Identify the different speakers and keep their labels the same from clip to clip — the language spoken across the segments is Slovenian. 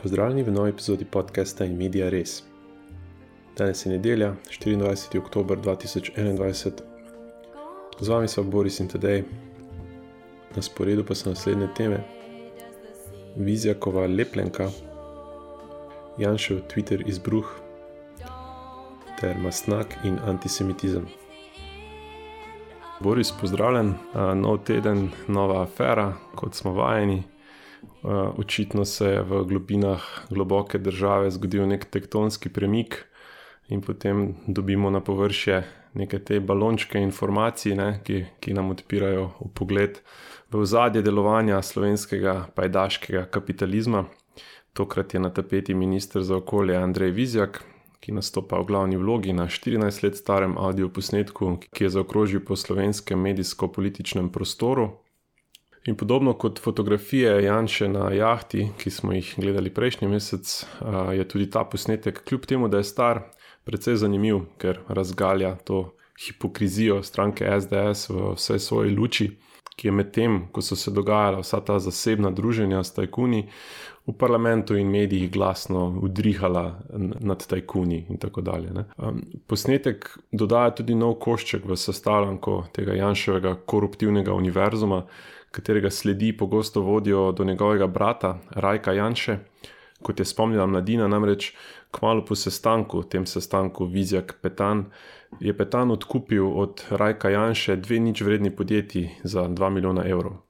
Speaker 1: Pozdravljeni v novi epizodi podcasta In Media Res. Danes je nedelja, 24. oktober 2021. Z vami so Boris in Tadej. Na sporedu pa so naslednje teme: Vizjakova lepljenka, Janšev Twitter izbruh ter Mastnak in antisemitizem. Boris, pozdravljen. Nov teden, nova afera, kot smo vajeni. Očitno se je v globinah globoke države zgodil nek tektonski premik in potem dobimo na površje neke te balončke informacij, ki nam odpirajo vpogled v ozadje delovanja slovenskega pajdaškega kapitalizma. Tokrat je na tapeti minister za okolje Andrej Vizjak, ki nastopa v glavni vlogi na 14 let starem audioposnetku, ki je zaokrožil po slovenskem medijsko-političnem prostoru. In podobno kot fotografije Janše na jahti, ki smo jih gledali prejšnji mesec, je tudi ta posnetek, kljub temu, da je star, precej zanimiv, ker razgalja to hipokrizijo stranke SDS v vsej svoji luči, ki je med tem, ko so se dogajala vsa ta zasebna druženja s tajkuni, v parlamentu in medijih glasno udrihala nad tajkuni in tako dalje. Posnetek dodaja tudi nov košček v sestavljanko tega Janševega koruptivnega univerzuma, katerega sledi pogosto vodijo do njegovega brata Rajka Janše. Kot je spomnila Mladina, namreč kmalu po sestanku, tem sestanku Vizjak-Petan, je Petan odkupil od Rajka Janše 2 ničvredni podjetji za 2 milijona evrov.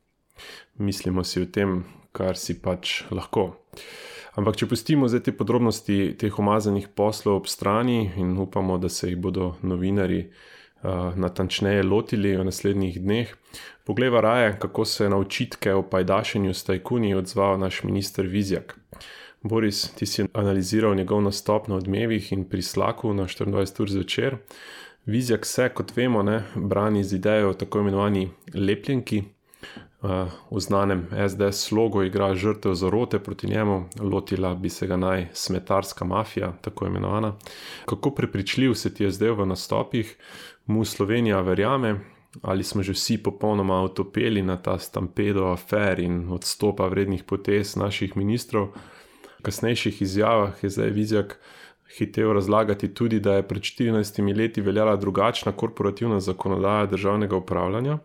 Speaker 1: Mislimo si o tem, kar si pač lahko. Ampak če pustimo zdaj te podrobnosti teh umazanih poslov ob strani in upamo, da se jih bodo novinarji natančneje lotili v naslednjih dneh, poglejva raje, kako se je na očitke o pajdašenju s tajkuni odzval naš minister Vizjak. Boris, ti si analiziral njegov nastop na Odmevih in pri Slaku na 24 ur zvečer. Vizjak se, kot vemo, brani z idejo o tako imenovani lepljenki. V znanem SDS slogu igra žrtev zarote proti njemu, lotila bi se ga naj smetarska mafija, tako imenovana. Kako prepričljiv se ti je zdaj v nastopih, mu Slovenija verjame, ali smo že vsi popolnoma otopeli na ta stampedo afer in odstopa vrednih potez naših ministrov. V kasnejših izjavah je zdaj Vizjak hitel razlagati tudi, da je pred 14 leti veljala drugačna korporativna zakonodaja državnega upravljanja.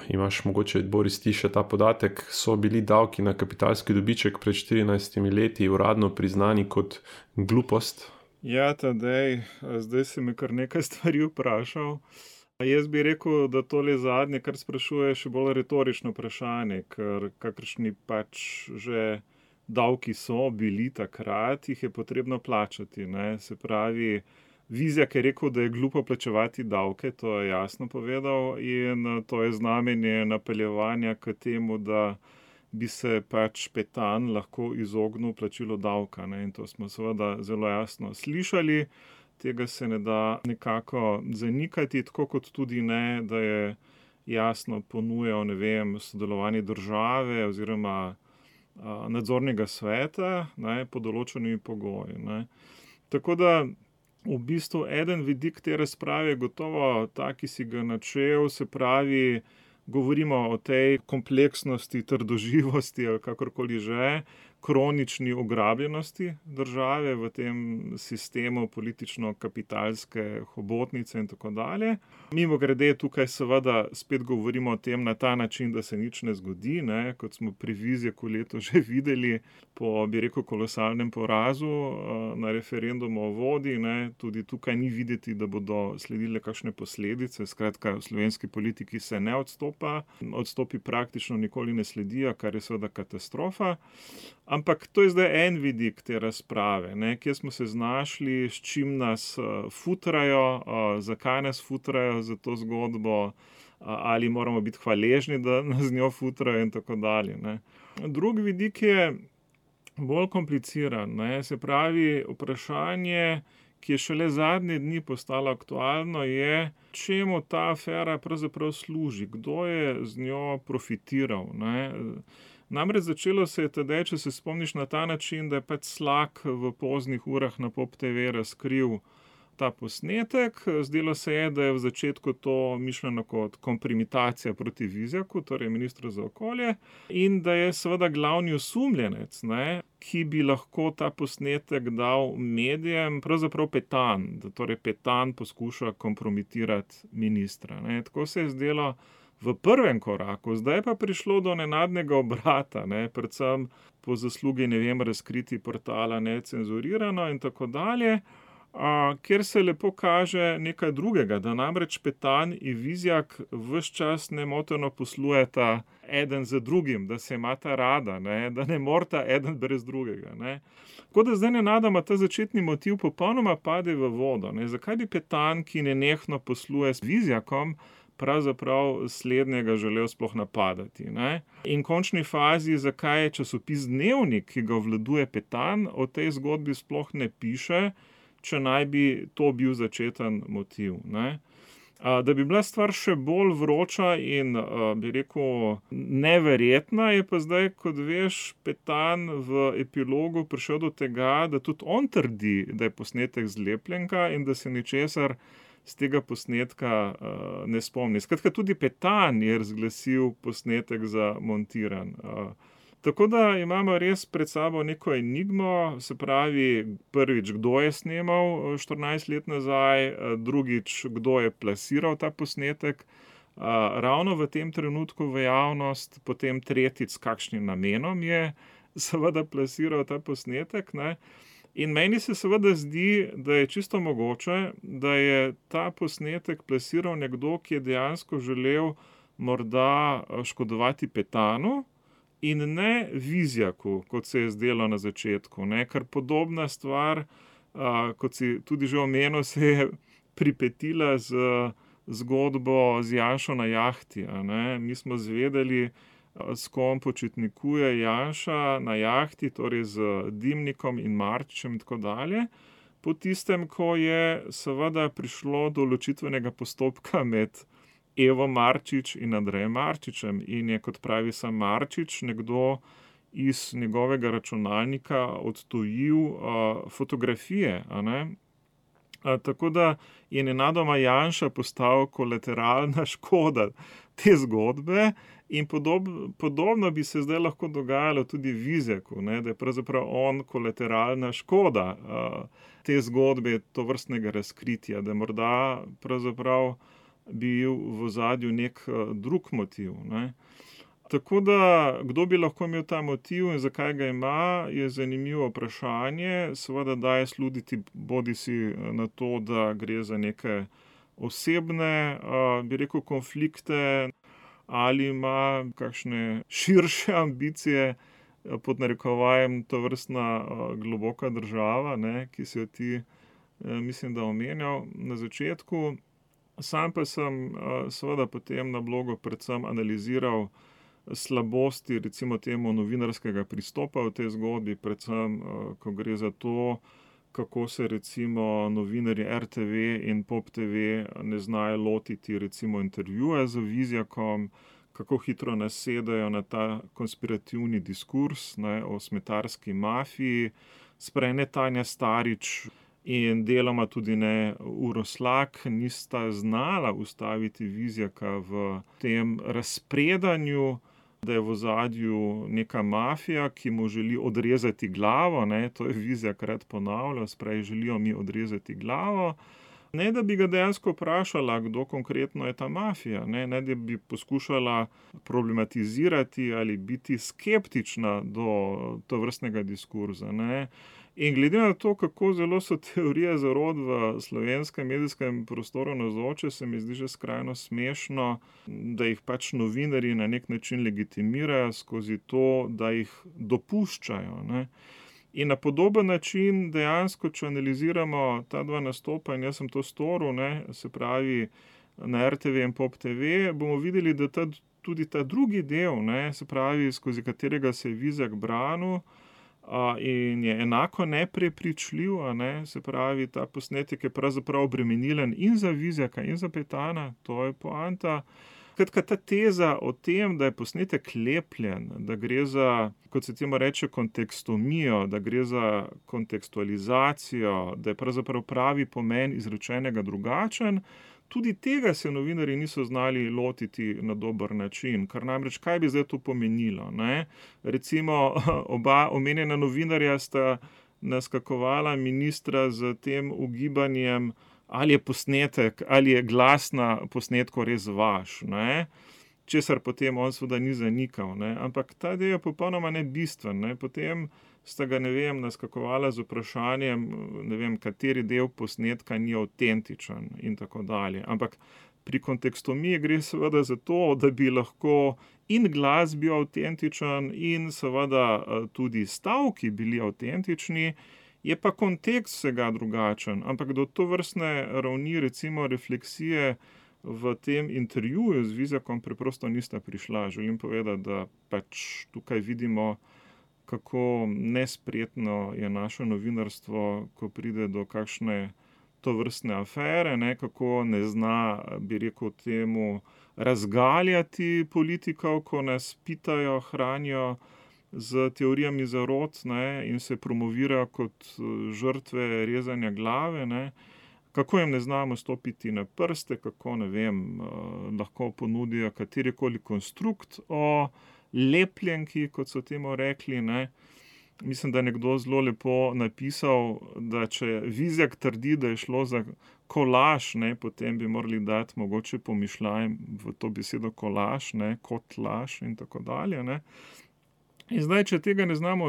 Speaker 1: Imaš mogoče, Boris, ti še ta podatek, so bili davki na kapitalski dobiček pred 14 leti uradno priznani kot glupost?
Speaker 2: Ja, Tadej, zdaj si me kar nekaj stvari vprašal. Jaz bi rekel, da tole zadnje, kar sprašuje, še bolj retorično vprašanje, ker kakršni pač že davki so bili takrat, jih je potrebno plačati. Se pravi, Vizjak je rekel, da je glupo plačevati davke, to je jasno povedal, in to je znamenje napeljevanja k temu, da bi se pač Petan lahko izognil plačilu davka. In to smo seveda zelo jasno slišali, tega se ne da nekako zanikati, tako kot tudi ne, da je jasno ponujal, sodelovanje države oziroma nadzornega sveta pod določenimi pogoji. Tako da v bistvu eden vidik te razprave je gotovo ta, ki si ga načel, se pravi, govorimo o tej kompleksnosti, trdoživosti ali kakorkoli že, kronični ograbljenosti države v tem sistemu politično-kapitalske hobotnice in tako dalje. Mimogrede, tukaj seveda spet govorimo o tem na ta način, da se nič ne zgodi, kot smo pri Vizjaku leto že videli po, bi rekel, kolosalnem porazu na referendumu o vodi. Tudi tukaj ni videti, da bodo sledile kakšne posledice. Skratka, v slovenski politiki se ne odstopa, odstopi praktično nikoli ne sledijo, kar je seveda katastrofa. Ampak to je zdaj en vidik te razprave, kje smo se znašli, s čim nas futrajo, zakaj nas futrajo za to zgodbo, ali moramo biti hvaležni, da nas z njo futrajo in tako dalje. Drugi vidik je bolj kompliciran, se pravi, vprašanje, ki je šele zadnje dni postalo aktualno, je, čemu ta afera pravzaprav služi, kdo je z njo profitiral. Namreč začelo se je Tadej, če se spomniš, na ta način, da je pač Slak v poznih urah na Pop TV razkril ta posnetek. Zdelo se je, da je v začetku to mišljeno kot kompromitacija proti Vizjaku, torej ministru za okolje, in da je seveda glavni osumljenec ki bi lahko ta posnetek dal medijem, pravzaprav Petan, da torej Petan poskuša kompromitirati ministra, ne. Tako se je zdelo v prvem koraku, zdaj pa prišlo do nenadnega obrata, ne, predvsem po zaslugi, ne vem, razkritij portala Necenzurirano in tako dalje, kjer se lepo kaže nekaj drugega, da namreč Petan in Vizjak ves čas nemoteno poslujeta eden z drugim, da se imata rada, ne, da ne moreta eden brez drugega, ne. Tako da zdaj nenadoma ta začetni motiv popolnoma pade v vodo, ne. Zakaj bi Petan, ki nenehno posluje z Vizjakom, pravzaprav slednjega želel sploh napadati, ne. In v končni fazi, zakaj je časopis Dnevnik, ki ga obvladuje Petan, o tej zgodbi sploh ne piše, če naj bi to bil začeten motiv, ne. Da bi bila stvar še bolj vroča in, bi rekel, neverjetna, je pa zdaj, kot veš, Petan v epilogu prišel do tega, da tudi on trdi, da je posnetek zlepljenka in da se ničesar z tega posnetka ne spomni. Skratka, tudi Petan je razglasil posnetek za montiran. Tako da imamo res pred sabo neko enigmo, se pravi, prvič, kdo je snemal 14 let nazaj, drugič, kdo je plasiral ta posnetek, ravno v tem trenutku v javnost, potem tretjič, s kakšnim namenom je seveda plasiral ta posnetek, ne. In meni se seveda zdi, da je čisto mogoče, da je ta posnetek plasiral nekdo, ki je dejansko želel morda škodovati Petanu, in ne Vizjaku, kot se je zdelo na začetku, ne, ker podobna stvar, kot si tudi že omenil, se je pripetila z zgodbo z Janšo na jahti, a ne. Mi smo izvedeli, s kom počitnikuje Janša na jahti, torej z Dimnikom in Marčičem in tako dalje, po tistem, ko je seveda prišlo do ločitvenega postopka med Evo Marčič in Andrejem Marčičem in je, kot pravi sam Marčič, nekdo iz njegovega računalnika odtujil fotografije, a ne. Tako da je nenadoma Janša postal kolateralna škoda te zgodbe in podobno bi se zdaj lahko dogajalo tudi Vizjaku, ne, da je pravzaprav on kolateralna škoda te zgodbe, tovrstnega razkritja, da morda pravzaprav bil v ozadju nek drug motiv, ne. Tako da, kdo bi lahko imel ta motiv in zakaj ga ima, je zanimivo vprašanje. Seveda daje slutiti bodisi na to, da gre za neke osebne, bi rekel, konflikte, ali ima kakšne širše ambicije, pod narekovajem tovrstna globoka država, ne, ki si jo ti, mislim, da omenjal na začetku. Sam pa sem seveda potem na blogu predvsem analiziral slabosti, recimo temu, novinarskega pristopa v tej zgodbi, predvsem, ko gre za to, kako se recimo novinarji RTV in Pop TV ne znajo lotiti recimo intervjuja z Vizjakom, kako hitro nasedajo na ta konspirativni diskurs, ne, o smetarski mafiji, sprej ne Tanja Starič in deloma tudi ne Uroš Slak nista znala ustaviti Vizjaka v tem razpredanju, da je v ozadju neka mafija, ki mu želi odrezati glavo, ne, to je Vizjak rad ponavljal, sprej želijo mi odrezati glavo, ne da bi ga dejansko vprašala, kdo konkretno je ta mafija, ne da bi poskušala problematizirati ali biti skeptična do tovrstnega diskurza, ne. In glede na to, kako zelo so teorije zarot v slovenskem medijskem prostoru navzoče, se mi zdi že skrajno smešno, da jih pač novinarji na nek način legitimirajo skozi to, da jih dopuščajo, ne. In na podoben način dejansko, če analiziramo ta dva nastopa, in jaz sem to storil, ne, se pravi na RTV in Pop TV, bomo videli, da tudi ta drugi del, ne, se pravi, skozi katerega se je Vizjak branil, in je enako neprepričljiv, a ne, se pravi, ta posnetek je pravzaprav obremenilen in za Vizjaka in za Petana, to je poanta. Skratka, ta teza o tem, da je posnetek lepljen, da gre za, kot se temu reče, kontekstomijo, da gre za kontekstualizacijo, da je pravzaprav pravi pomen izrečenega drugačen, tudi tega se novinarji niso znali lotiti na dober način, kar namreč kaj bi zdaj to pomenilo, ne? Recimo oba omenjena novinarja sta naskakovala ministra z tem ugibanjem, ali je posnetek, ali je glas na posnetku res vaš, ne? Česar potem on seveda ni zanikal, ne? Ampak ta del je popolnoma nebistven, ne? Potem sta ga, ne vem, naskakovala z vprašanjem, ne vem, kateri del posnetka ni avtentičen in tako dalje. Ampak pri kontekstomiji gre seveda za to, da bi lahko in glas bil avtentičen in seveda tudi stavki bili avtentični, je pa kontekst vsega drugačen. Ampak do tovrstne ravni, recimo refleksije v tem intervjuju z Vizjakom preprosto nista prišla. Želim povedati, da pač tukaj vidimo, kako nespretno je naše novinarstvo, ko pride do kakšne tovrstne afere, ne, kako ne zna, bi rekel temu, razgaljati politikov, ko nas pitajo, hranijo z teorijami zarot, ne, in se promovirajo kot žrtve rezanja glave, ne. Kako jim ne znamo stopiti na prste, kako, ne vem, lahko ponudijo katerikoli konstrukt o lepljenki, kot so temu rekli, ne. Mislim, da je nekdo zelo lepo napisal, da če Vizjak trdi, da je šlo za kolaž, ne, potem bi morali dati mogoče pomišljaj v to besedo kolaž, ne, kot laž in tako dalje, ne. In zdaj, če tega ne znamo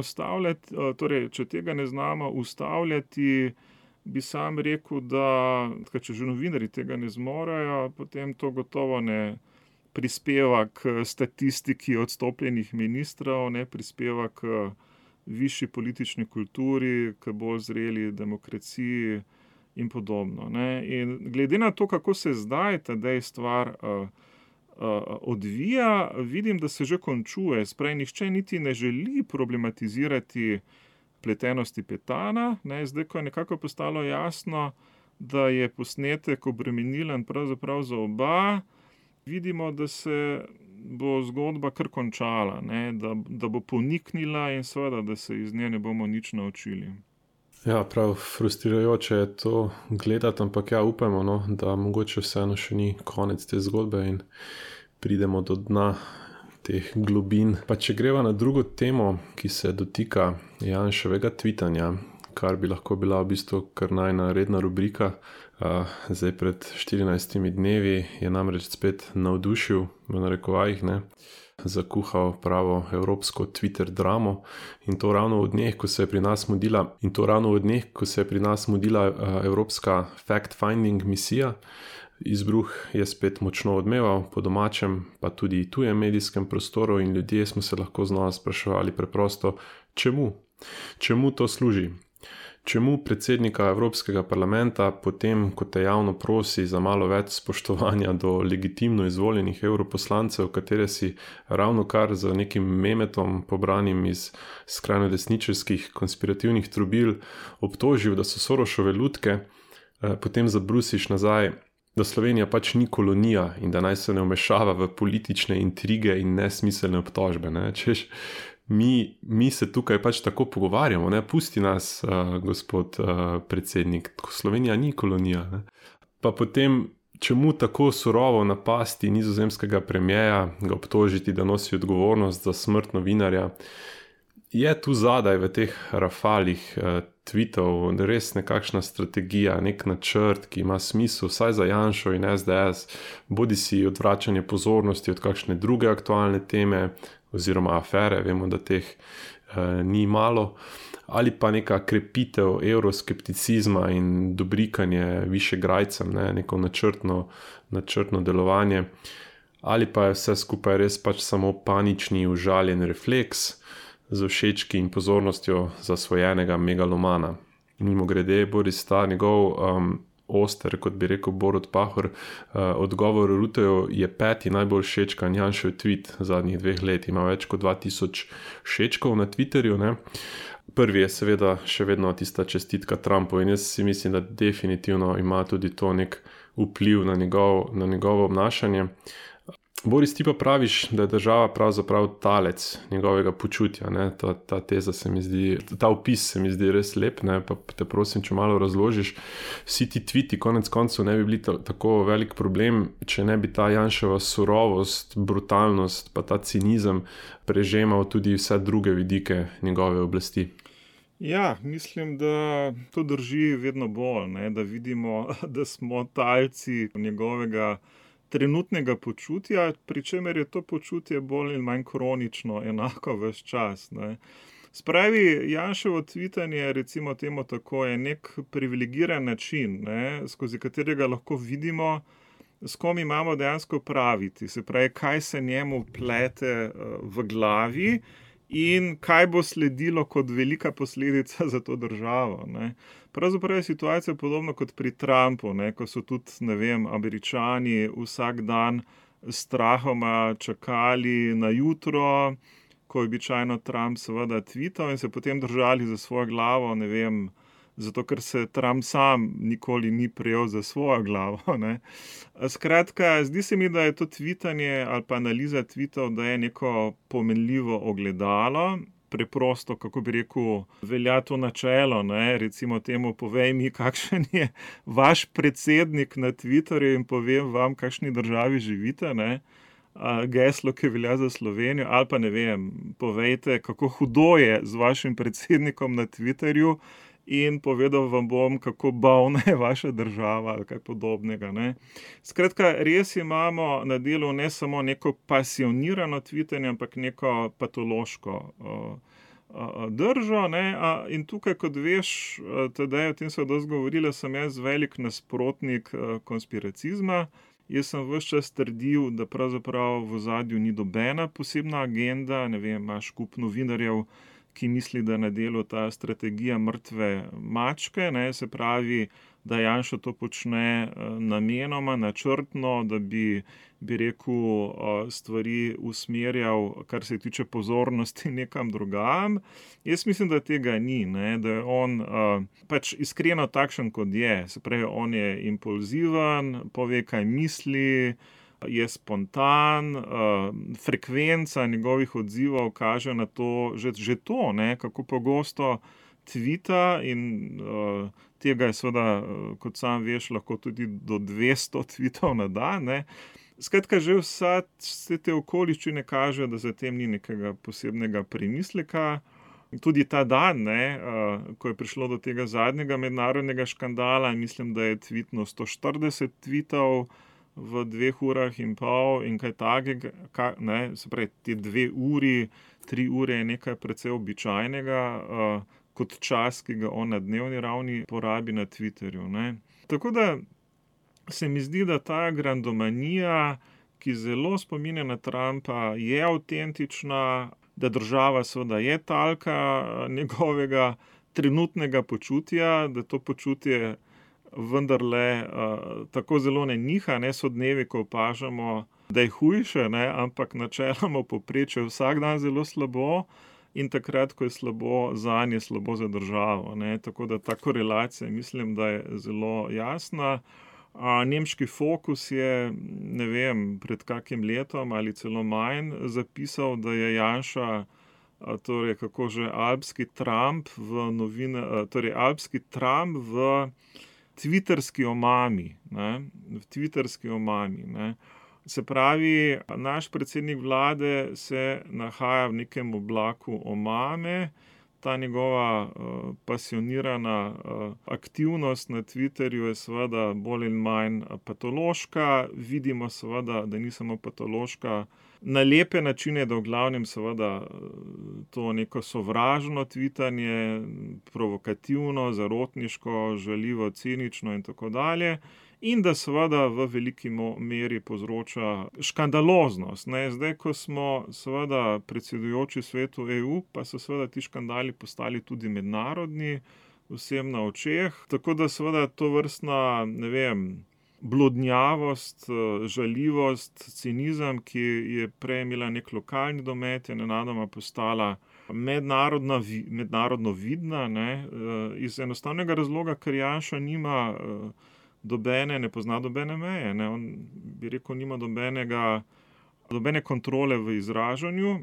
Speaker 2: ustavljati, bi sam rekel, da če že novinarji tega ne zmorejo, potem to gotovo ne prispeva k statistiki odstopljenih ministrov, ne prispeva k višji politični kulturi, k bolj zreli demokraciji in podobno, ne. In glede na to, kako se zdaj ta stvar odvija, vidim, da se že končuje. Sprej, nihče niti ne želi problematizirati vpletenosti Petana, ne. Zdaj, ko je nekako postalo jasno, da je posnetek obremenilen pravzaprav za oba, vidimo, da se bo zgodba kar končala, ne, da bo poniknila in seveda, da se iz nje ne bomo nič naučili.
Speaker 1: Ja, prav frustrirajoče je to gledati, ampak ja, upamo, no, da mogoče vseeno še ni konec te zgodbe in pridemo do dna teh globin. Pa če greva na drugo temo, ki se dotika Janševega tvitanja, kar bi lahko bila v bistvu kar najna redna rubrika. Zdaj pred 14 dnevi je namreč spet navdušil, v narekovajih, ne, zakuhal pravo evropsko Twitter dramo in to ravno v dneh, ko se je pri nas mudila evropska fact-finding misija. Izbruh je spet močno odmeval po domačem, pa tudi tujem medijskem prostoru in ljudje smo se lahko znova spraševali preprosto, čemu to služi? Čemu predsednika Evropskega parlamenta, potem ko te javno prosi za malo več spoštovanja do legitimno izvoljenih evroposlancev, katere si ravno kar z nekim memetom pobranim iz skrajno desničarskih konspirativnih trobil obtožil, da so Sorošove lutke, potem zabrusiš nazaj, da Slovenija pač ni kolonija in da naj se ne vmešava v politične intrige in nesmiselne obtožbe, ne? Češ, mi se tukaj pač tako pogovarjamo, ne? Pusti nas, gospod predsednik, Slovenija ni kolonija, ne? Pa potem, čemu tako surovo napasti nizozemskega premierja, ga obtožiti, da nosi odgovornost za smrt novinarja. Je tu zadaj v teh rafalih tweetov res nekakšna strategija, nek načrt, ki ima smisel vsaj za Janšo in SDS, bodi si odvračanje pozornosti od kakšne druge aktualne teme oziroma afere, vemo, da teh ni malo, ali pa neka krepitev evroskepticizma in dobrikanje višegrajcem, ne, neko načrtno delovanje, ali pa je vse skupaj res pač samo panični užaljen refleks z všečki in pozornostjo zasvojenega megalomana. Mimogrede, Boris ta njegov oster, kot bi rekel Borut Pahor, odgovor Ruteju je 5. najbolj všečkan Janšev tweet zadnjih 2 let, ima več kot 2000 všečkov na Twitterju, ne. Prvi je seveda še vedno tista čestitka Trumpu in jaz si mislim, da definitivno ima tudi to nek vpliv na njegovo obnašanje. Boris, ti pa praviš, da je država pravzaprav talec njegovega počutja. Ne? Ta teza se mi zdi, ta opis se mi zdi res lep, ne? Pa te prosim, če malo razložiš. Vsi ti tviti konec koncev ne bi bili tako velik problem, če ne bi ta Janševa surovost, brutalnost pa ta cinizem prežemal tudi vse druge vidike njegove oblasti.
Speaker 2: Ja, mislim, da to drži vedno bolj, ne? Da vidimo, da smo talci njegovega trenutnega počutja, pri čemer je to počutje bolj ali manj kronično, enako ves čas, ne. Spravi, Janševo tvitanje, recimo temu tako, je nek privilegiran način, ne, skozi katerega lahko vidimo, s kom imamo dejansko praviti, se pravi, kaj se njemu plete v glavi in kaj bo sledilo kot velika posledica za to državo, ne. Pravzaprav je situacija podobna kot pri Trumpu, ne, ko so tudi, ne vem, Američani vsak dan s strahoma čakali na jutro, ko je običajno Trump seveda tvital in se potem držali za svojo glavo, ne vem, zato ker se Trump sam nikoli ni prijel za svojo glavo, ne. Skratka, zdi se mi, da je to tvitanje ali pa analiza tvitov, da je neko pomenljivo ogledalo. Preprosto, kako bi rekel, velja to načelo, ne, recimo temu, povej mi, kakšen je vaš predsednik na Twitterju in povem vam, kakšni državi živite, ne, geslo, ki velja za Slovenijo, ali pa ne vem, povejte, kako hudo je z vašim predsednikom na Twitterju in povedal vam bom, kako bolna je vaša država ali kaj podobnega, ne. Skratka, res imamo na delu ne samo neko pasionirano tvitanje, ampak neko patološko držo, ne, in tukaj, kot veš, Tadej, o tem sva dosti govorila, sem jaz velik nasprotnik konspiracizma. Jaz sem ves čas trdil, da pravzaprav v ozadju ni nobena posebna agenda, ne vem, imaš kup novinarjev, ki misli, da na delu ta strategija mrtve mačke, ne, se pravi, da Janša to počne namenoma, načrtno, da bi rekel, stvari usmerjal, kar se tiče pozornosti, nekam drugam. Jaz mislim, da tega ni, ne, da je on pač iskreno takšen, kot je. Se pravi, on je impulziven, pove, kaj misli, je spontan, frekvenca njegovih odzivov kaže na to, že to, ne, kako pogosto tvita in tega je seveda, kot sam veš, lahko tudi do 200 tvitov na dan, ne. Skratka, že vse te okoliščine kažejo, da za tem ni nekega posebnega premisleka. Tudi ta dan, ne, ko je prišlo do tega zadnjega mednarodnega škandala, mislim, da je tvitnil 140 tvitov v 2 urah in pol in kaj takega, ne, se pravi, te 2 uri, 3 ure je nekaj precej običajnega, kot čas, ki ga on na dnevni ravni porabi na Twitterju, ne. Tako da se mi zdi, da ta grandomanija, ki zelo spominja na Trumpa, je avtentična, da država seveda je talka njegovega trenutnega počutja, da to počutje vendarle tako zelo ne niha, ne, so dnevi, ko opažamo, da je hujše, ne, ampak načeloma v povprečju vsak dan zelo slabo in takrat, ko je slabo zanje, je slabo za državo, ne, tako da ta korelacija, mislim, da je zelo jasna. Nemški Fokus je, ne vem, pred kakim letom ali celo manj zapisal, da je Janša, torej kako že, alpski Trump alpski Trump v twitterski omami, ne, v twitterski omami, ne. Se pravi, naš predsednik vlade se nahaja v nekem oblaku omame, ta njegova pasionirana aktivnost na Twitterju je seveda bolj in manj patološka, vidimo seveda, da ni samo patološka na lepe načine, da v glavnem seveda to neko sovražno tvitanje, provokativno, zarotniško, žaljivo, cinično in tako dalje, in da seveda v veliki meri povzroča škandaloznost, ne. Zdaj, ko smo seveda predsedujoči Svetu EU, pa so seveda ti škandali postali tudi mednarodni, vsem na očeh, tako da seveda tovrstna, ne vem, blodnjavost, žaljivost, cinizem, ki je prej imela nek lokalni domet, je nenadoma postala mednarodno vidna, ne, iz enostavnega razloga, ker Janša nima ne pozna nobene meje, ne, on, bi rekel, nima nobenega nobene kontrole v izražanju,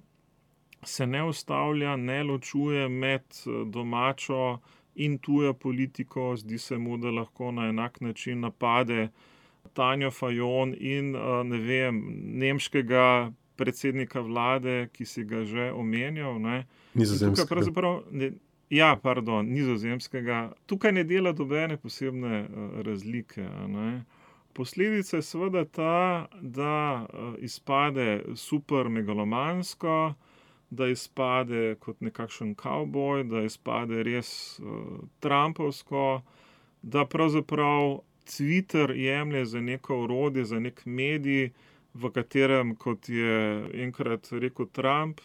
Speaker 2: se ne ustavlja, ne ločuje med domačo in tujo politiko. Zdi se mu, da lahko na enak način napade Tanjo Fajon in nemškega predsednika vlade, ki si ga že omenjal.
Speaker 1: Nizozemskega.
Speaker 2: Nizozemskega. Tukaj ne dela dobene posebne razlike. Posledica je seveda ta, da izpade super megalomansko, da izpade kot nekakšen kavboj, da izpade res trumpovsko, da pravzaprav Twitter jemlje za neko orodje, za nek medij, v katerem, kot je enkrat rekel Trump,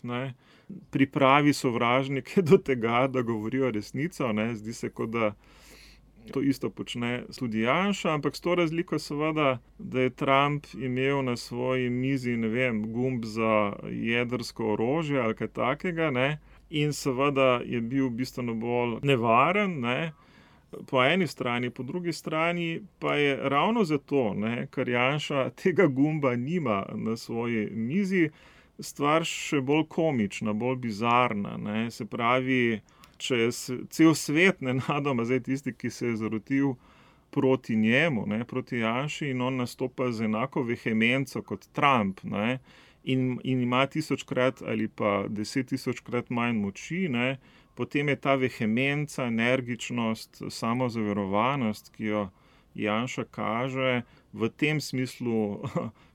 Speaker 2: pripravi sovražnike do tega, da govorijo resnico. Zdi se, kot da to isto počne tudi Janša, ampak s to razliko seveda, da je Trump imel na svoji mizi, gumb za jedrsko orožje ali kaj takega, in seveda je bil bistveno bolj nevaren, po eni strani, po drugi strani pa je ravno zato, ker Janša tega gumba nima na svoji mizi, stvar še bolj komična, bolj bizarna. Se pravi, če je cel svet nenadoma zdaj tisti, ki se je zarotil proti njemu, proti Janši, in on nastopa z enako vehemenco kot Trump, in ima 1000-krat ali pa 10 000-krat manj moči, potem je ta vehemenca, energičnost, samozaverovanost, ki jo Janša kaže, v tem smislu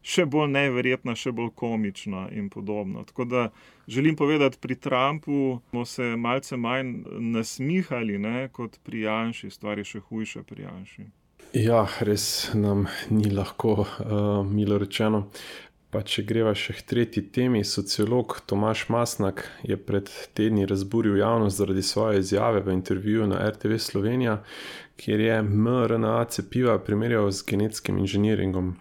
Speaker 2: še bolj neverjetna, še bolj komična in podobno. Tako da želim povedati, pri Trumpu smo se malce manj nasmihali, kot pri Janši. Stvar je še hujša pri Janši.
Speaker 1: Ja, res nam ni lahko, milo rečeno. Pa če greva še k tretji temi, sociolog Tomaž Mastnak je pred tedni razburil javnost zaradi svoje izjave v intervjuju na RTV Slovenija, kjer je mRNA cepiva primerjal z genetskim inženiringom.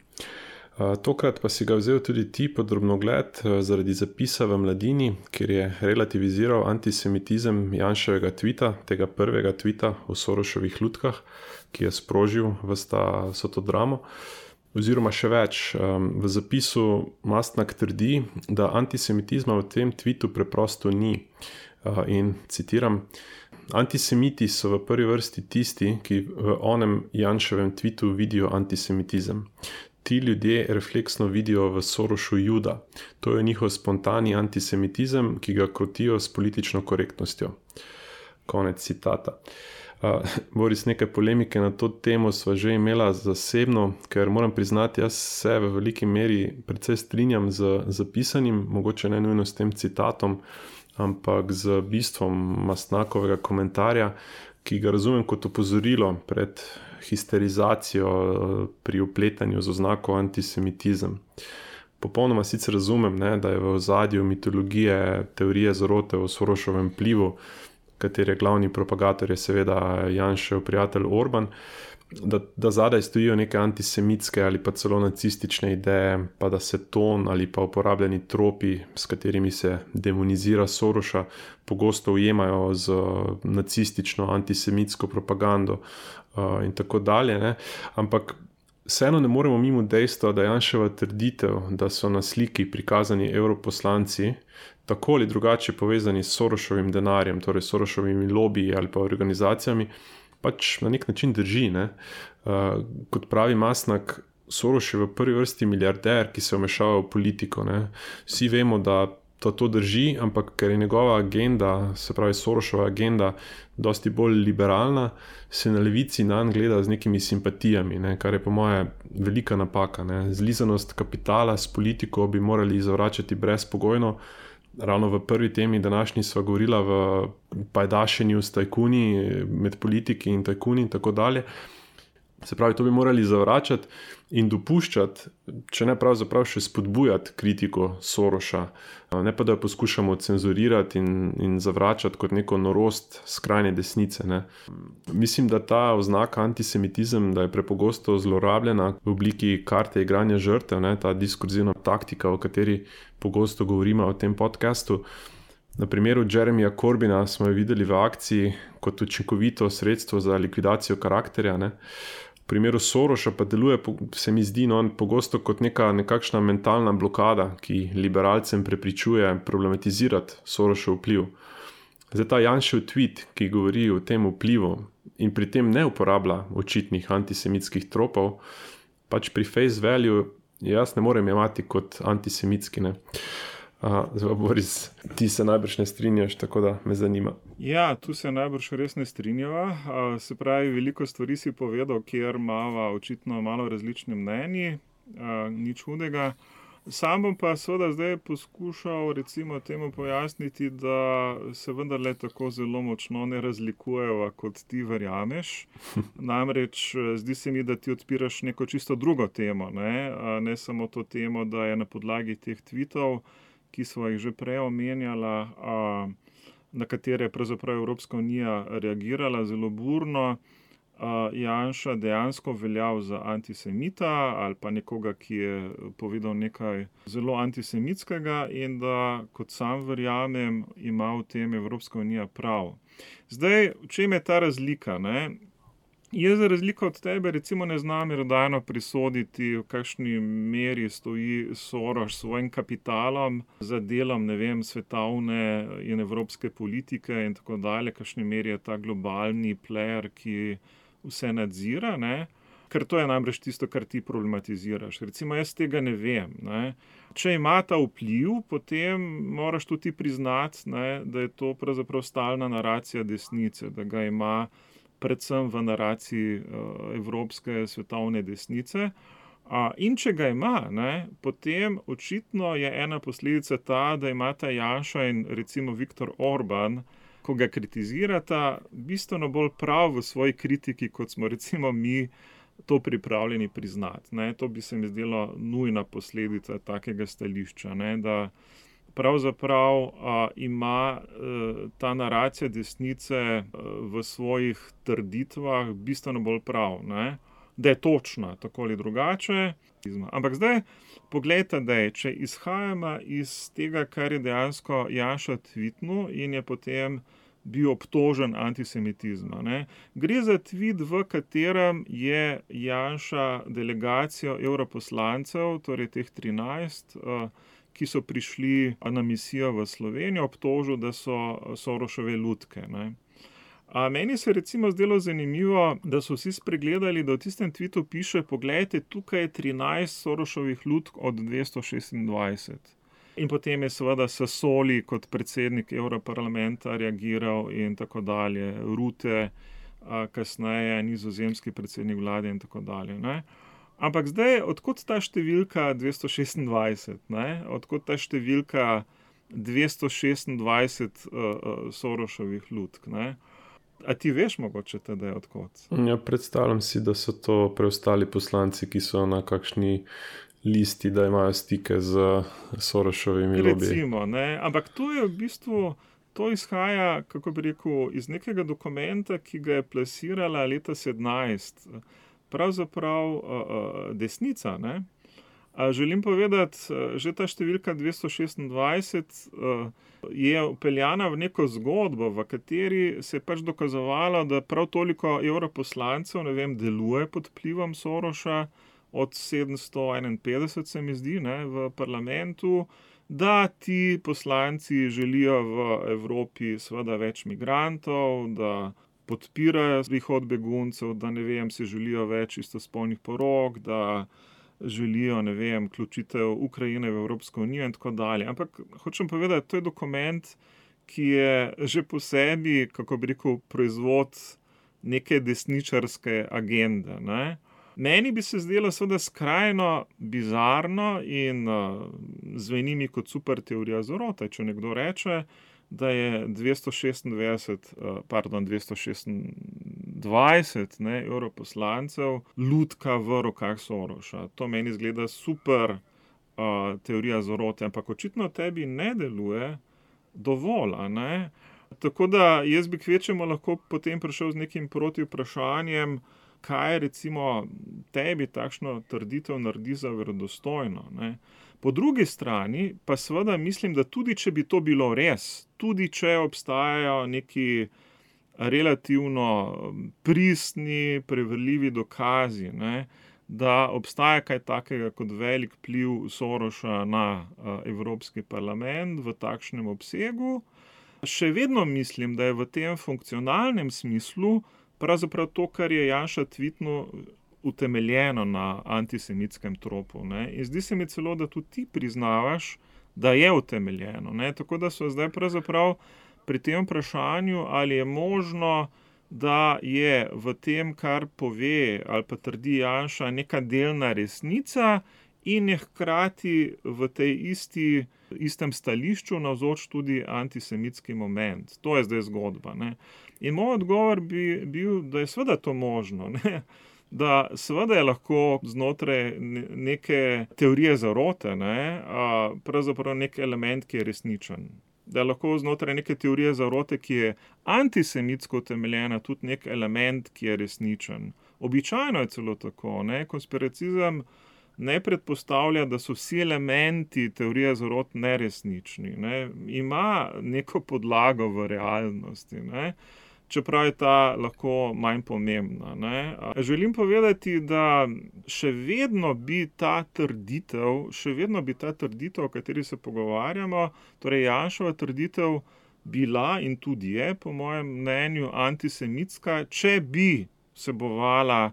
Speaker 1: Tokrat pa si ga vzel tudi ti pod drobnogled zaradi zapisa v Mladini, kjer je relativiziral antisemitizem Janševega tvita, tega prvega tvita o Soroševih lutkah, ki je sprožil vso to dramo. Oziroma še več, v zapisu Mastnak trdi, da antisemitizma v tem tvitu preprosto ni. In citiram: "Antisemiti so v prvi vrsti tisti, ki v onem Janševem tvitu vidijo antisemitizem. Ti ljudje refleksno vidijo v Sorošu Juda. To je njihov spontani antisemitizem, ki ga krotijo s politično korektnostjo." Konec citata. Boris, nekaj polemike na to temo sva že imela zasebno, ker moram priznati, jaz se v veliki meri precej strinjam z zapisanim, mogoče ne nujno s tem citatom, ampak z bistvom Mastnakovega komentarja, ki ga razumem kot opozorilo pred histerizacijo pri vpletanju z oznako antisemitizem. Popolnoma sicer razumem, da je v ozadju mitologije teorije zarote o Soroševem vplivu, katere glavni propagator je seveda Janšev prijatelj Orban, da zadaj stojijo neke antisemitske ali pa celo nacistične ideje, pa da se ton ali pa uporabljeni tropi, s katerimi se demonizira Soroša, pogosto ujemajo z nacistično antisemitsko propagando in tako dalje. Ampak vseeno ne moremo mimo dejstva, da Janševa trditev, da so na sliki prikazani evroposlanci tako ali drugače povezani s Soroševim denarjem, torej Soroševimi lobiji ali pa organizacijami, pač na nek način drži. Kot pravi Mastnak, Soroš je v prvi vrsti milijarder, ki se vmešava v politiko. Vsi vemo, da to drži, ampak ker je njegova agenda, se pravi Soroševa agenda, dosti bolj liberalna, se na levici nanj gleda z nekimi simpatijami, kar je po moje velika napaka. Zlizanost kapitala s politiko bi morali zavračati brezpogojno. Ravno v prvi temi današnji sva govorila v pajdašenju s tajkuni, med politiki in tajkuni in tako dalje. Se pravi, to bi morali zavračati in dopuščati, če ne pravzaprav še spodbujati kritiko Soroša, ne pa da jo poskušamo cenzurirati in zavračati kot neko norost skrajne desnice. Mislim, da ta oznaka antisemitizem, da je prepogosto zlorabljena v obliki karte igranja žrtev, ta diskurzivna taktika, o kateri pogosto govorimo v tem podcastu. Na primeru Jeremyja Corbyna smo jo videli v akciji kot učinkovito sredstvo za likvidacijo karakterja. V primeru Sorosa pa deluje, se mi zdi, pogosto kot nekakšna mentalna blokada, ki liberalcem prepričuje problematizirati Sorosov vpliv. Zdaj ta Janšev tweet, ki govori o tem vplivu in pri tem ne uporablja očitnih antisemitskih tropov, pač pri face value jaz ne morem jemati kot antisemitski, ne. Zdaj, Boris, ti se najbrž ne strinjaš, tako da me zanima.
Speaker 2: Ja, tu se najbrž res ne strinjava. Se pravi, veliko stvari si povedal, kjer imava očitno malo različne mnenji, nič hudega. Sam bom pa seveda zdaj poskušal recimo temu pojasniti, da se vendarle tako zelo močno ne razlikujeva, kot ti verjameš. Namreč zdi se mi, da ti odpiraš neko čisto drugo temo, ne samo to temo, da je na podlagi teh tweetov, ki smo jih že prej omenjala, na katere je pravzaprav Evropska unija reagirala zelo burno, Janša dejansko veljal za antisemita ali pa nekoga, ki je povedal nekaj zelo antisemitskega in da, kot sam verjamem, ima v tem Evropska unija prav. Zdaj, v čem je ta razlika, ne? Jaz za razliko od tebe recimo ne znam merodajno presoditi, v kakšni meri stoji Soros s svojim kapitalom za delom, ne vem, svetovne in evropske politike in tako dalje, v kakšni meri je ta globalni player, ki vse nadzira, ne? Ker to je namreč tisto, kar ti problematiziraš. Recimo jaz tega ne vem, ne? Če ima ta vpliv, potem moraš tudi priznati, ne, da je to pravzaprav stalna naracija desnice, da ga ima predvsem v naraciji evropske svetovne desnice. In če ga ima, ne, potem očitno je ena posledica ta, da imata Janša in recimo Viktor Orban, ko ga kritizirata, bistveno bolj prav v svoji kritiki, kot smo recimo mi to pripravljeni priznati, ne. To bi se mi zdelo nujna posledica takega stališča, ne, da pravzaprav ima ta naracija desnice v svojih trditvah bistveno bolj prav, ne. Da je točna, tako ali drugače. Ampak zdaj, poglejte, če izhajamo iz tega, kar je dejansko Janša tvitnil in je potem bil obtožen antisemitizma, ne. Gre za tvit, v katerem je Janša delegacijo evroposlancev, torej teh 13, ki so prišli na misijo v Slovenijo, obtožil, da so Sorosove lutke, ne. Meni se recimo zdelo zanimivo, da so vsi spregledali, da v tistem tvitu piše: poglejte, tukaj je 13 Sorosovih lutk od 226. In potem je seveda Sassoli kot predsednik Evroparlamenta reagiral in tako dalje, Rutte, kasneje nizozemski predsednik vlade in tako dalje, ne. Ampak zdaj, od kod ta številka 226, ne? Od kod ta številka 226 Sorosovih lutk, ne? A ti veš mogoče teda od kod?
Speaker 1: Ja, predstavljam si, da so to preostali poslanci, ki so na kakšni listi, da imajo stike z Sorosovimi lobiji.
Speaker 2: Recimo, ne, ampak to je v bistvu, to izhaja, kako bi rekel, iz nekega dokumenta, ki ga je plasirala leta 2017, pravzaprav desnica, ne. Želim povedati, že ta številka 226 je vpeljana v neko zgodbo, v kateri se je pač dokazovalo, da prav toliko evroposlancev, ne vem, deluje pod vplivom Sorosa, od 751 se mi zdi, ne, v parlamentu, da ti poslanci želijo v Evropi seveda več migrantov, da podpirajo prihod beguncev, da, ne vem, si želijo več istospolnih porok, da želijo, ne vem, vključitev Ukrajine v Evropsko unijo in tako dalje. Ampak hočem povedati, to je dokument, ki je že po sebi, kako bi rekel, proizvod neke desničarske agende, ne. Meni bi se zdelo seveda skrajno bizarno in zveni mi kot super teorija zarote, če nekdo reče, da je 226 evroposlancev lutka v rokah Sorosa. To meni izgleda super teorija zarote, ampak očitno tebi ne deluje dovolj, a ne? Tako da jaz bi kvečjemu lahko potem prišel z nekim protivprašanjem, kaj recimo tebi takšno trditev naredi za verodostojno, ne. Po drugi strani pa seveda mislim, da tudi če bi to bilo res, tudi če obstajajo neki relativno pristni, preverljivi dokazi, ne, da obstaja kaj takega kot velik vpliv Sorosa na Evropski parlament v takšnem obsegu. Še vedno mislim, da je v tem funkcionalnem smislu pravzaprav to, kar je Janša tvitnil, utemeljeno na antisemitskem tropu. Ne. In zdi se mi celo, da tudi ti priznavaš, da je utemeljeno. Ne. Tako da so zdaj pravzaprav pri tem vprašanju, ali je možno, da je v tem, kar pove ali pa trdi Janša, neka delna resnica in je hkrati v tej istem stališču navzoč tudi antisemitski moment. To je zdaj zgodba. Ne. In moj odgovor bi bil, da je seveda to možno. Ne. Da seveda je lahko znotraj neke teorije zarote, ne, pravzaprav nek element, ki je resničen. Da je lahko znotraj neke teorije zarote, ki je antisemitsko utemeljena, tudi nek element, ki je resničen. Običajno je celo tako. Ne. Konspiracizem ne predpostavlja, da so vsi elementi teorije zarot neresnični. Ne. Ima neko podlago v realnosti. Ne. Čeprav je ta lahko manj pomembna. Ne. Želim povedati, da še vedno bi ta trditev, o kateri se pogovarjamo, torej Janševa trditev bila in tudi je, po mojem mnenju, antisemitska, če bi vsebovala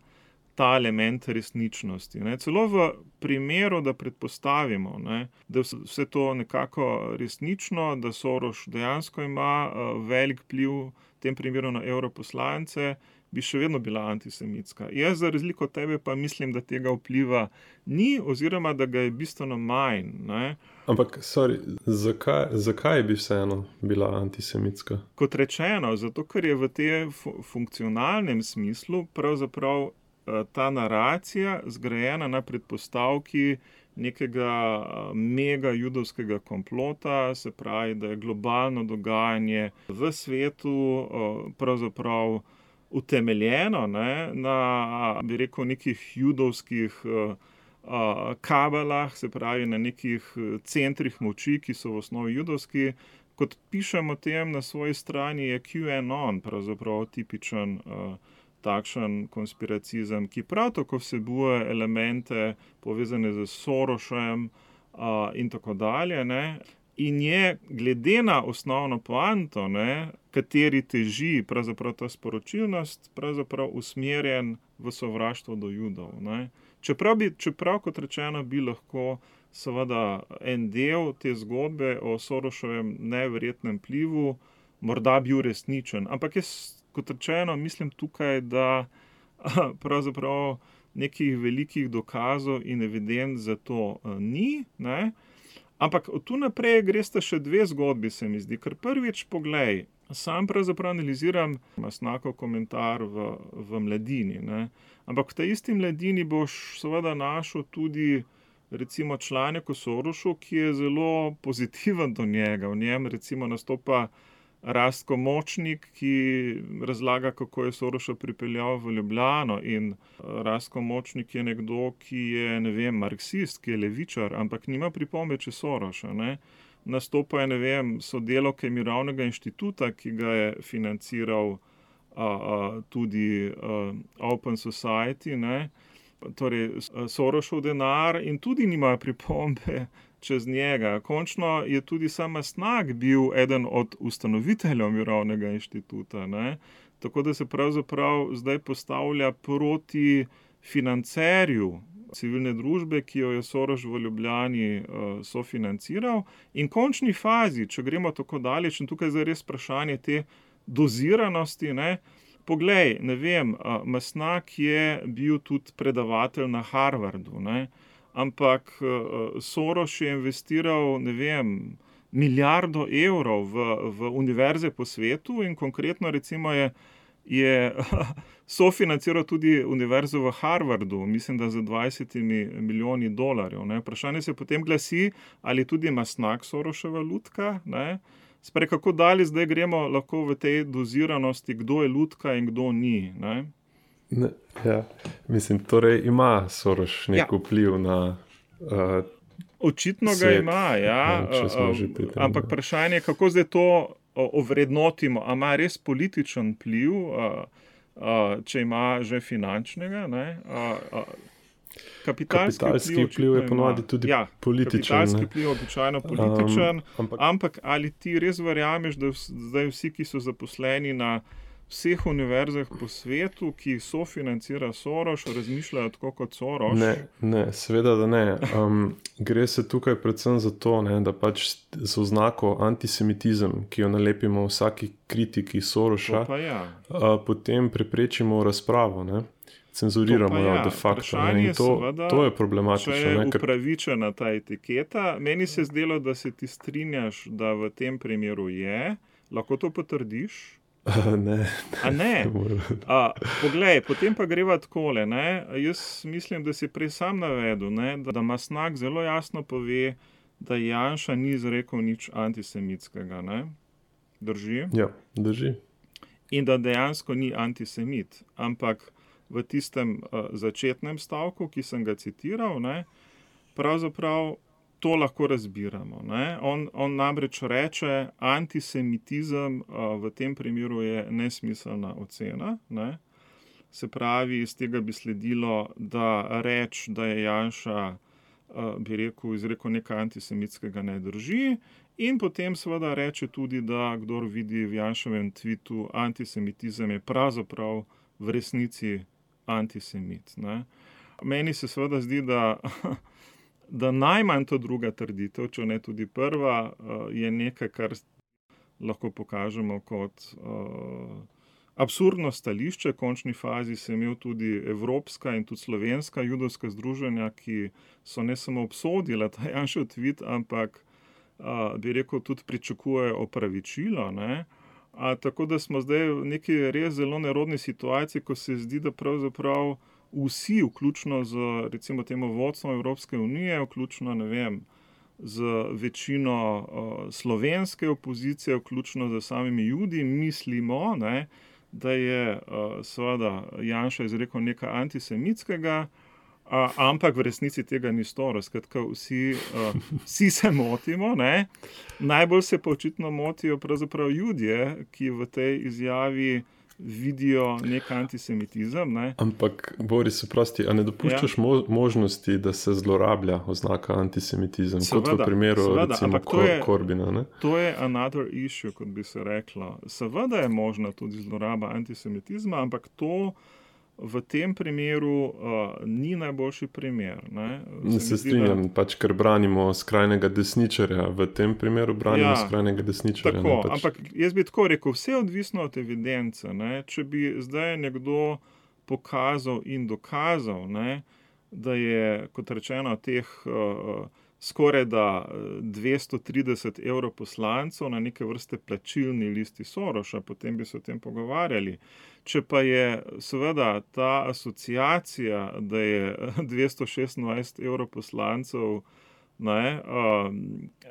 Speaker 2: ta element resničnosti. Ne. Celo v primeru, da predpostavimo, ne, da je vse to nekako resnično, da Soros dejansko ima velik vpliv v tem primeru na evroposlance, bi še vedno bila antisemitska. Jaz za razliko od tebe pa mislim, da tega vpliva ni oziroma da ga je bistveno manj. Ne.
Speaker 1: Ampak, zakaj bi vseeno bila antisemitska?
Speaker 2: Kot rečeno, zato ker je v tem funkcionalnem smislu pravzaprav ta naracija zgrajena na predpostavki nekega mega judovskega komplota, se pravi, da je globalno dogajanje v svetu pravzaprav utemeljeno, ne, na, bi rekel, nekih judovskih kabalah, se pravi na nekih centrih moči, ki so v osnovi judovski. Kot pišem o tem na svoji strani, je QAnon pravzaprav tipičen takšen konspiracizem, ki prav tako vsebuje elemente povezane z Sorošem in tako dalje. Ne. In je glede na osnovno poanto, ne, kateri teži pravzaprav ta sporočilnost, pravzaprav usmerjen v sovraštvo do Judov. Ne. Čeprav, kot rečeno, bi lahko seveda en del te zgodbe o Soroševem neverjetnem vplivu morda bil resničen. Ampak jaz, kot rečeno, mislim tukaj, da pravzaprav nekih velikih dokazov in evidenc za to ni. Ne. Ampak od tu naprej gresta še dve zgodbi, se mi zdi. Ker prvič, poglej, sam pravzaprav analiziram Mastnakov komentar v Mladini. Ne. Ampak v tej isti Mladini boš seveda našel tudi recimo članek o Sorosu, ki je zelo pozitiven do njega. V njem recimo nastopa Rastko Močnik, ki razlaga, kako je Sorosa pripeljal v Ljubljano, in Rastko Močnik je nekdo, ki je, ne vem, marksist, ki je levičar, ampak nima pripombe čez Sorosa. Ne. Nastopa je, ne vem, sodelavke Mirovnega inštituta, ki ga je financiral tudi Open Society, ne. Torej Sorosov denar, in tudi nima pripombe čez njega. Končno je tudi sam Mastnak bil eden od ustanoviteljev Mirovnega inštituta. Ne. Tako da se pravzaprav zdaj postavlja proti financerju civilne družbe, ki jo je Soros v Ljubljani sofinanciral. In v končni fazi, če gremo tako daleč, in tukaj zdaj res vprašanje te doziranosti, ne. Poglej, ne vem, Mastnak je bil tudi predavatelj na Harvardu, ne. Ampak Soros je investiral, ne vem, milijardo evrov v univerze po svetu in konkretno recimo je sofinanciral tudi univerzo v Harvardu, mislim, da za 20 milijoni dolarjev. Ne. Vprašanje se potem glasi, ali tudi Mastnak Sorosova lutka, ne. Sprej, kako dalje zdaj gremo lahko v tej doziranosti, kdo je lutka in kdo ni, ne?
Speaker 1: Ja, mislim, torej ima Soros nek vpliv na
Speaker 2: očitno
Speaker 1: svet.
Speaker 2: Ga ima, ja.
Speaker 1: Če smo že pri tem.
Speaker 2: Ampak vprašanje je, kako zdaj to ovrednotimo, a ima res političen vpliv, če ima že finančnega, ne,
Speaker 1: Kapitalski vpliv je ponovadi tudi političen.
Speaker 2: Kapitalski vpliv je običajno političen, ampak ali ti res verjameš, da zdaj vsi, ki so zaposleni na vseh univerzah po svetu, ki jih sofinancira Soros, razmišljajo tako kot Soros?
Speaker 1: Ne, seveda, da ne. Gre se tukaj predvsem za to, ne, da pač z oznako antisemitizem, ki jo nalepimo vsaki kritiki Sorosa, potem preprečimo razpravo, ne. Cenzuriramo jo de facto. In to je problematično.
Speaker 2: Če je upravičena ta etiketa, meni se zdelo, da se ti strinjaš, da v tem primeru je. Lahko to potrdiš?
Speaker 1: Ne.
Speaker 2: A ne? Poglej, potem pa greva takole, ne. Jaz mislim, da si prej sam navedel, ne, da Mastnak zelo jasno pove, da Janša ni izrekel nič antisemitskega, ne. Drži?
Speaker 1: Ja, drži.
Speaker 2: In da dejansko ni antisemit, ampak v tistem začetnem stavku, ki sem ga citiral, ne, pravzaprav to lahko razbiramo, ne. On namreč reče, antisemitizem v tem primeru je nesmiselna ocena, ne. Se pravi, iz tega bi sledilo, da reč, da je Janša, bi rekel, izrekel nekaj antisemitskega, ne drži, in potem seveda reče tudi, da kdor vidi v Janševem tvitu antisemitizem, je pravzaprav v resnici antisemit, ne. Meni se seveda zdi, da najmanj to druga trditev, če ne tudi prva, je nekaj, kar lahko pokažemo kot absurdno stališče. V končni fazi se imel tudi evropska in tudi slovenska judovska združenja, ki so ne samo obsodila ta Janšev tvit, ampak bi rekel, tudi pričakujejo opravičilo, ne. Tako da smo zdaj v neki res zelo nerodni situaciji, ko se zdi, da pravzaprav vsi, vključno z recimo temu vodstvom Evropske unije, vključno, ne vem, z večino slovenske opozicije, vključno z samimi Judi, mislimo, ne, da je seveda Janša izrekel nekaj antisemitskega, ampak v resnici tega ni storil. Skratka, vsi se motimo, ne. Najbolj se pa očitno motijo pravzaprav Judje, ki v tej izjavi vidijo nek antisemitizem, ne.
Speaker 1: Ampak, Boris, oprosti, a ne dopuščaš možnosti, da se zlorablja oznaka antisemitizem, kot v primeru recimo Corbina, ne?
Speaker 2: To je another issue, kot bi se reklo. Seveda je možna tudi zloraba antisemitizma, ampak to v tem primeru ni najboljši primer, ne.
Speaker 1: Se strinjam, pač ker branimo skrajnega desničarja, v tem primeru branimo skrajnega desničarja.
Speaker 2: Tako, ampak jaz bi tako rekel, vse je odvisno od evidence, ne. Če bi zdaj nekdo pokazal in dokazal, ne, da je, kot rečeno, teh skoraj da 230 evrov poslancev na neke vrste plačilni listi Sorosa, potem bi se o tem pogovarjali. Če pa je seveda ta asociacija, da je 226 evrov poslancev, ne,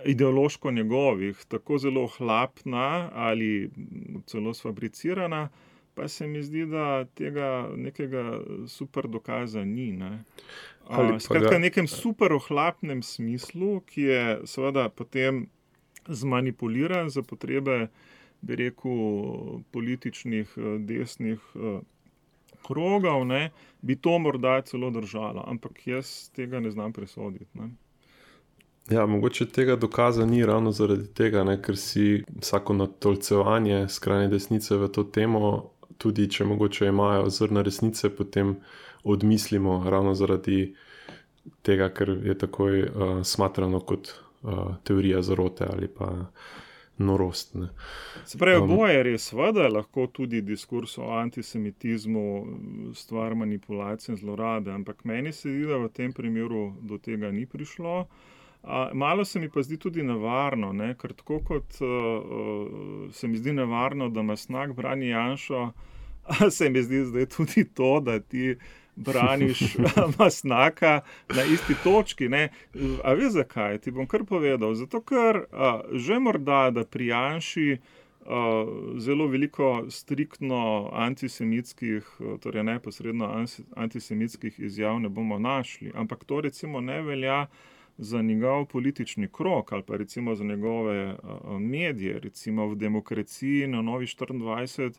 Speaker 2: ideološko njegovih, tako zelo ohlapna ali celo sfabricirana, pa se mi zdi, da tega nekega super dokaza ni, ne. Skratka, v nekem super ohlapnem smislu, ki je seveda potem zmanipuliran za potrebe, bi rekel, političnih desnih krogov, ne, bi to morda celo držalo, ampak jaz tega ne znam presoditi, ne.
Speaker 1: Ja, mogoče tega dokaza ni ravno zaradi tega, ne, ker si vsako natolcevanje skrajne desnice v to temo, tudi če mogoče imajo zrna resnice, potem odmislimo ravno zaradi tega, ker je takoj smatrano kot teorija zarote ali pa norost, ne.
Speaker 2: Se pravi, oboje je res, seveda lahko tudi diskurs o antisemitizmu stvar manipulacije in zlorabe, ampak meni se zdi, da v tem primeru do tega ni prišlo. Malo se mi pa zdi tudi nevarno, ne, ker tako kot se mi zdi nevarno, da Mastnak brani Janšo, se mi zdi zdaj tudi to, da ti braniš Mastnaka na isti točki, ne. A veš zakaj? Ti bom kar povedal. Zato, ker že morda, da pri Janši zelo veliko striktno antisemitskih, torej neposredno antisemitskih izjav ne bomo našli, ampak to recimo ne velja za njegov politični krog ali pa recimo za njegove medije, recimo v Demokraciji na Novi 24,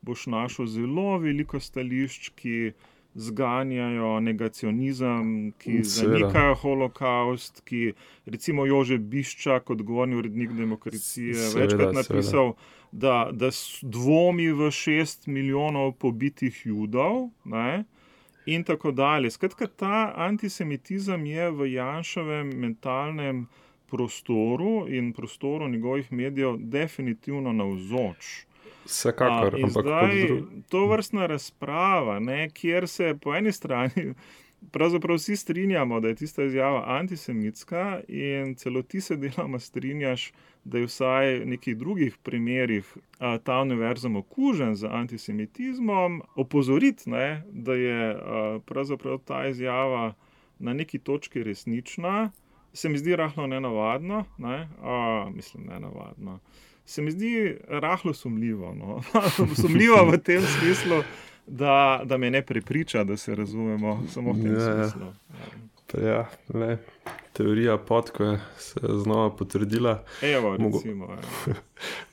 Speaker 2: boš našel zelo veliko stališč, ki zganjajo negacionizem, ki zanikajo holokaust, ki recimo Jože Biščak, odgovorni urednik Demokracije, večkrat napisal, da dvomi v 6 milijonov pobitih Judov, ne? In tako dalje. Skratka, ta antisemitizem je v Janševem mentalnem prostoru in prostoru njegovih medijev definitivno navzoč.
Speaker 1: Vsekakor,
Speaker 2: ampak to vrstna razprava, ne, kjer se po eni strani pravzaprav vsi strinjamo, da je tista izjava antisemitska in celo ti se deloma strinjaš, da je vsaj v nekih drugih primerih ta univerzum okužen z antisemitizmom, opozoriti, ne, da je pravzaprav ta izjava na neki točki resnična, se mi zdi rahlo nenavadno, ne, nenavadno. Se mi zdi rahlo sumljivo. No? Sumljivo v tem smislu, da me ne prepriča, da se razumemo samo v tem smislu.
Speaker 1: Ja, teorija podkve se je znova potrdila.
Speaker 2: Evo, recimo.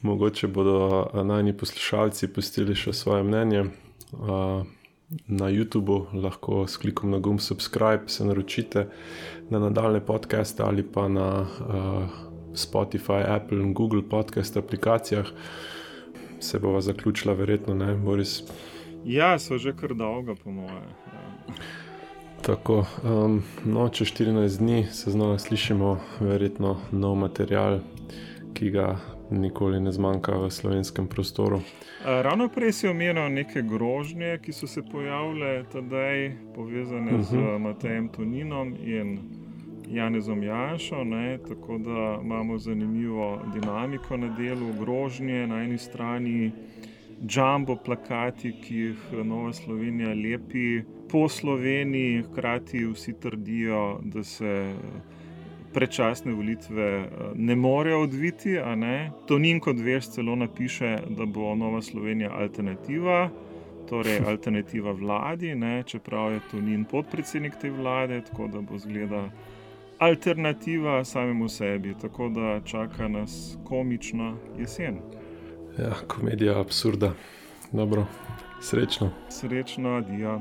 Speaker 1: Mogoče bodo najni poslušalci pustili še svoje mnenje. Na YouTubeu lahko s klikom na gumb subscribe se naročite na nadaljne podcaste ali pa na Spotify, Apple in Google podcast aplikacijah. Se bova zaključila verjetno, ne, Boris?
Speaker 2: Ja, so že kar dolga po moje.
Speaker 1: Tako, čez 14 dni se znova slišimo, verjetno nov material, ki ga nikoli ne zmanjka v slovenskem prostoru.
Speaker 2: Ravno prej si omenil neke grožnje, ki so se pojavile tedaj, povezane z Matejem Toninom in Janezom Janšo, ne, tako da imamo zanimivo dinamiko na delu, grožnje, na eni strani jumbo plakati, ki jih Nova Slovenija lepi po Sloveniji, hkrati vsi trdijo, da se predčasne volitve ne morejo odviti, a ne. Tonin, kot veš, celo napiše, da bo Nova Slovenija alternativa, torej alternativa vladi, ne, čeprav je Tonin podpredsednik te vlade, tako da bo zgleda alternativa samemu sebi, tako da čaka nas komična jesen.
Speaker 1: Ja, komedija absurda. Dobro, srečno.
Speaker 2: Srečno, adijo.